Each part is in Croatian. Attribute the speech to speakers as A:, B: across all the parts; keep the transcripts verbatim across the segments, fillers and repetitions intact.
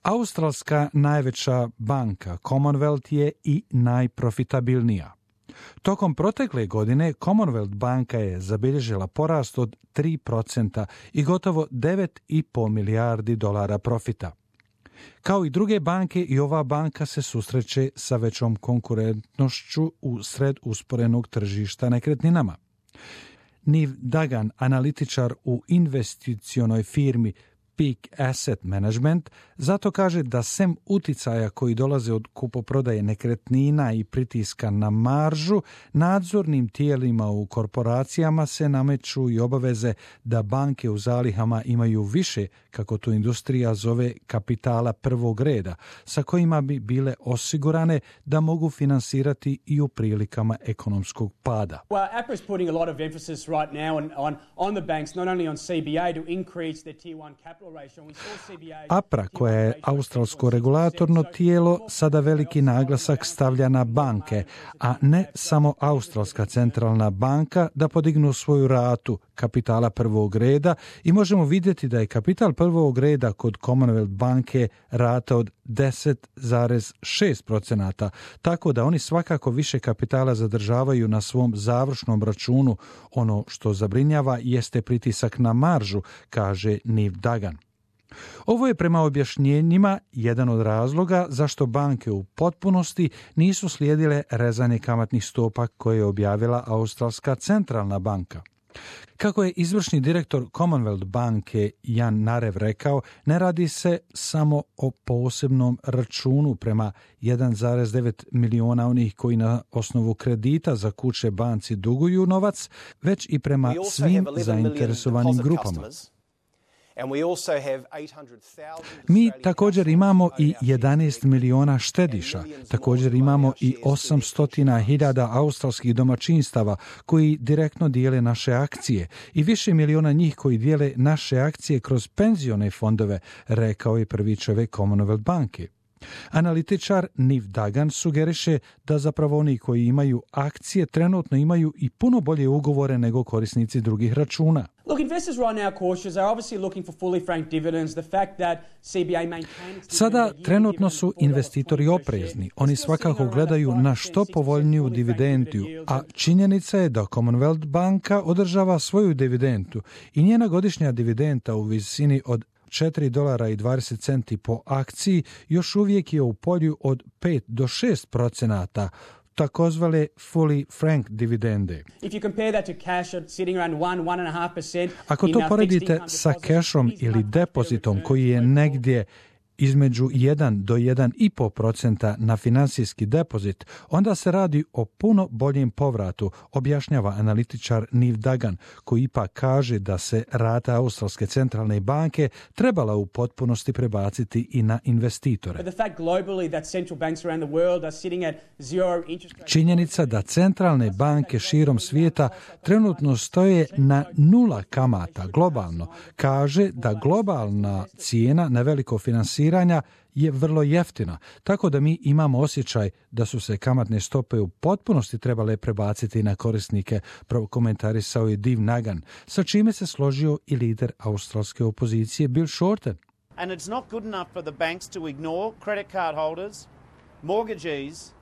A: Australska najveća banka Commonwealth je i najprofitabilnija. Tokom protekle godine Commonwealth banka je zabilježila porast od tri procenta i gotovo devet i po milijardi dolara profita. Kao i druge banke, i ova banka se susreće sa većom konkurentnošću u sred usporenog tržišta nekretninama. Niv Dagan, analitičar u investicionoj firmi Peak Asset Management, zato kaže da sem uticaja koji dolaze od kupoprodaje nekretnina i pritiska na maržu, nadzornim tijelima u korporacijama se nameću i obaveze da banke u zalihama imaju više, kako to industrija zove, kapitala prvog reda, sa kojima bi bile osigurane da mogu finansirati i u prilikama ekonomskog pada.
B: Well, A P R A is putting a lot of emphasis right now on, on, on the banks, not only on C B A, to increase their tier one capital.
A: A P R A, koja je australsko regulatorno tijelo, sada veliki naglasak stavlja na banke, a ne samo Australska centralna banka, da podignu svoju ratu kapitala prvog reda, i možemo vidjeti da je kapital prvog reda kod Commonwealth banke rata od deset zarez šest procenata, tako da oni svakako više kapitala zadržavaju na svom završnom računu. Ono što zabrinjava jeste pritisak na maržu, kaže Niv Dagan. Ovo je prema objašnjenjima jedan od razloga zašto banke u potpunosti nisu slijedile rezanje kamatnih stopa koje je objavila Australska centralna banka. Kako je izvršni direktor Commonwealth banke Jan Narev rekao, ne radi se samo o posebnom računu prema jedan zarez devet miliona onih koji na osnovu kredita za kuće banci duguju novac, već i prema svim zainteresovanim grupama. Mi također imamo i jedanaest miliona štediša, također imamo i osamsto hiljada australskih domaćinstava koji direktno dijele naše akcije i više miliona njih koji dijele naše akcije kroz penzione fondove, rekao je prvi čovjek Commonwealth banke. Analitičar Niv Dagan sugeriše da zapravo oni koji imaju akcije trenutno imaju i puno bolje ugovore nego korisnici drugih računa.
B: Look, investors right now are cautious. They're obviously looking for fully franked dividends. The fact that C B A maintains...
A: Sada trenutno su investitori oprezni. Oni svakako gledaju na što povoljniju dividendu, a činjenica je da Commonwealth banka održava svoju dividendu i njena godišnja dividenda u visini od četiri dolara i dvadeset centi po akciji još uvijek je u polju od pet do šest procenata, takozvane fully frank dividende. Ako to poredite sa kešom ili depozitom koji je negdje između jedan do jedan i po procenta na financijski depozit, onda se radi o puno boljem povratu, objašnjava analitičar Niv Dagan, koji ipak kaže da se rata Australske centralne banke trebala u potpunosti prebaciti i na investitore. Činjenica da centralne banke širom svijeta trenutno stoje na nula kamata globalno, kaže da globalna cijena na veliko finansiranje je vrlo jeftina, tako da mi imamo osjećaj da su se kamatne stope u potpunosti trebale prebaciti na korisnike, prokomentarisao je Niv Dagan, sa čime se složio i lider australske opozicije Bill Shorten. And it's not good enough for the banks to ignore credit card holders, mortgagees.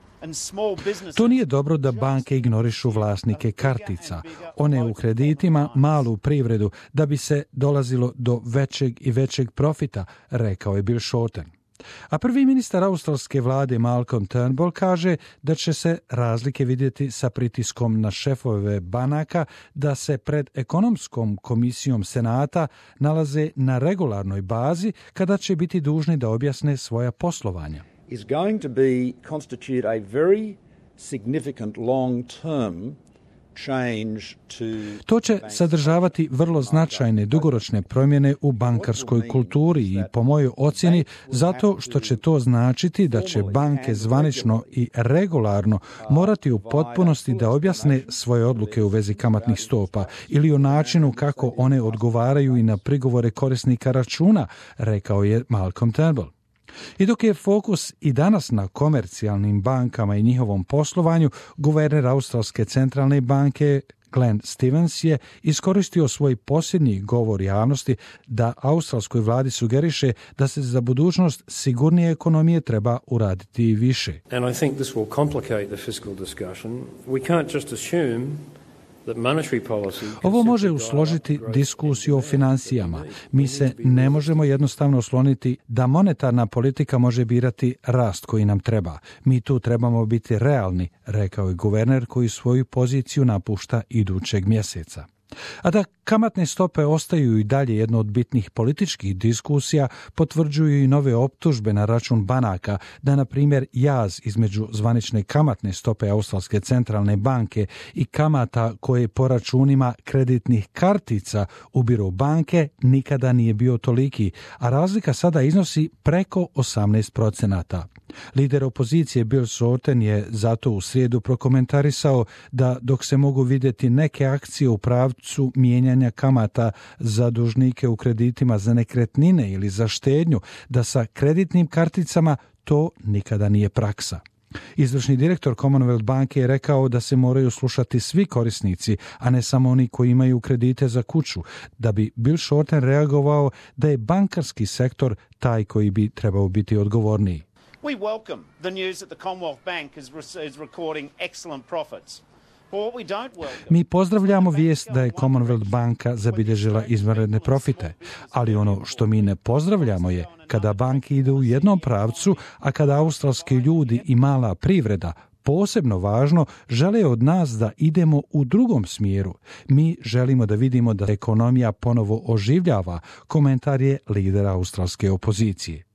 A: To nije dobro da banke ignorišu vlasnike kartica, one u kreditima, malu privredu, da bi se dolazilo do većeg i većeg profita, rekao je Bill Shorten. A prvi ministar australske vlade Malcolm Turnbull kaže da će se razlike vidjeti sa pritiskom na šefove banaka da se pred ekonomskom komisijom Senata nalaze na regularnoj bazi kada će biti dužni da objasne svoja poslovanja.
C: Is going to be constitute a very significant long-term change to...
A: To će sadržavati vrlo značajne dugoročne promjene u bankarskoj kulturi i po mojoj ocjeni zato što će to značiti da će banke zvanično i regularno morati u potpunosti da objasne svoje odluke u vezi kamatnih stopa ili o načinu kako one odgovaraju i na prigovore korisnika računa, rekao je Malcolm Turnbull. I dok je fokus i danas na komercijalnim bankama i njihovom poslovanju, guverner Australske centralne banke Glenn Stevens je iskoristio svoj posljednji govor javnosti da australskoj vladi sugeriše da se za budućnost sigurnije ekonomije treba uraditi i više.
D: And I think this will complicate the fiscal discussion. We can't just assume that monetary policy.
A: Ovo može usložiti diskusiju o financijama. Mi se ne možemo jednostavno osloniti da monetarna politika može birati rast koji nam treba. Mi tu trebamo biti realni, rekao je guverner koji svoju poziciju napušta idućeg mjeseca. A da kamatne stope ostaju i dalje jedno od bitnih političkih diskusija, potvrđuju i nove optužbe na račun banaka da, na primjer, jaz između zvanične kamatne stope Australske centralne banke i kamata koje po računima kreditnih kartica ubiru banke nikada nije bio toliki, a razlika sada iznosi preko osamnaest procenata. Lider opozicije Bill Shorten je zato u srijedu prokomentarisao da dok se mogu vidjeti neke akcije u pravcu mijenjanja kamata za dužnike u kreditima za nekretnine ili za štednju, da sa kreditnim karticama to nikada nije praksa. Izvršni direktor Commonwealth banke je rekao da se moraju slušati svi korisnici, a ne samo oni koji imaju kredite za kuću, da bi Bill Shorten reagovao da je bankarski sektor taj koji bi trebao biti odgovorniji.
E: We welcome the news that the Commonwealth Bank is, is recording excellent profits.
A: Mi pozdravljamo vijest da je Commonwealth banka zabilježila izvanredne profite, ali ono što mi ne pozdravljamo je kada banke idu u jednom pravcu, a kada australski ljudi i mala privreda, posebno važno, žele od nas da idemo u drugom smjeru. Mi želimo da vidimo da ekonomija ponovo oživljava, komentar je lidera australske opozicije.